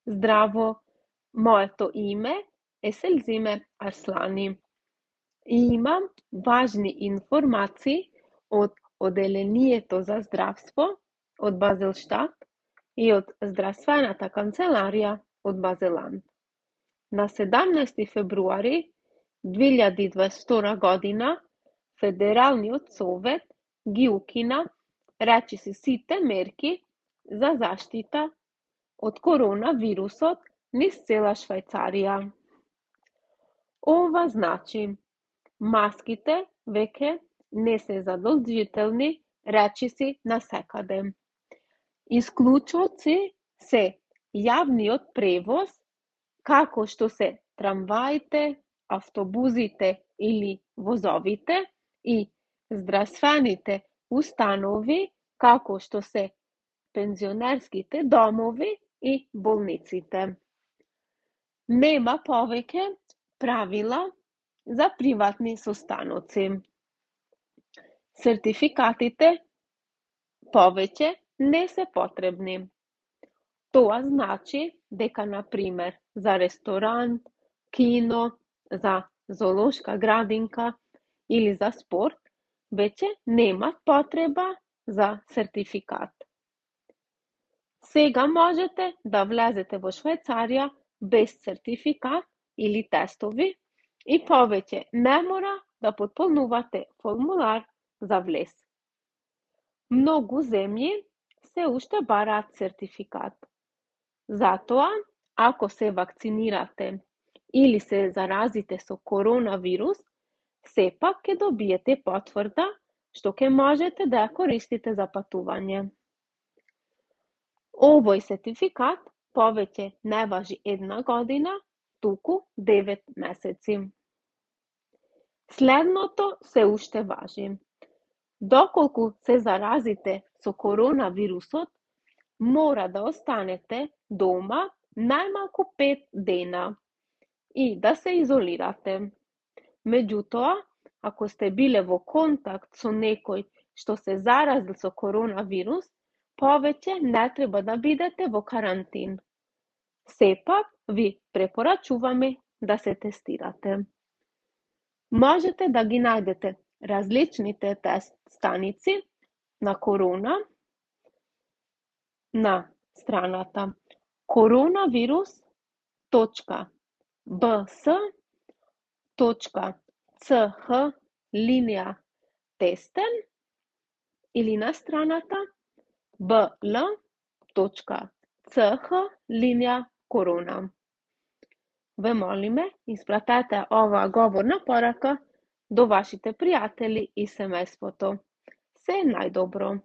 Здраво, моето име е Селзиме Арслани и имам важни информации од Оделението за здравство од Базелштат и од Здравствената канцеларија од Базеланд. На 17 февруари 2022 година Федералниот совет ги укина речиси сите мерки за заштита од коронавирусот низ цела Швајцарија. Ова значи, маските веќе не се задолжителни речиси насекаде. Исклучоци се јавниот превоз, како што се трамваите, автобузите или возовите и здравствените установи, како што се пензионерските домови и болниците. Нема повеќе правила за приватни состаноци. Сертификатите повеќе не се потребни. Тоа значи дека, на пример, за ресторан, кино, за зоолошка градинка или за спорт, веќе нема потреба за сертификат. Сега можете да влезете во Швајцарија без сертификат или тестови и повеќе не мора да потполнувате формулар за влез. Многу земји се уште бараат сертификат. Затоа, ако се вакцинирате или се заразите со коронавирус, сепак ќе добиете потврда што ќе можете да ја користите за патување. Овој сертификат повеќе не важи 1 година, туку 9 месеци. Следното се уште важи. Доколку се заразите со коронавирусот, мора да останете дома најмалку 5 дена и да се изолирате. Меѓутоа, ако сте биле во контакт со некој што се заразил со коронавирус, повеќе не треба да бидете во карантин. Сепак ви препорачуваме да се тестирате. Можете да ги најдете различните тест станици на корона на страната coronavirus.bs.ch/testen или на страната bl.ch/corona. Ве молиме, испратете оваа говорна порака до вашите пријатели и семејството. Се најдобро!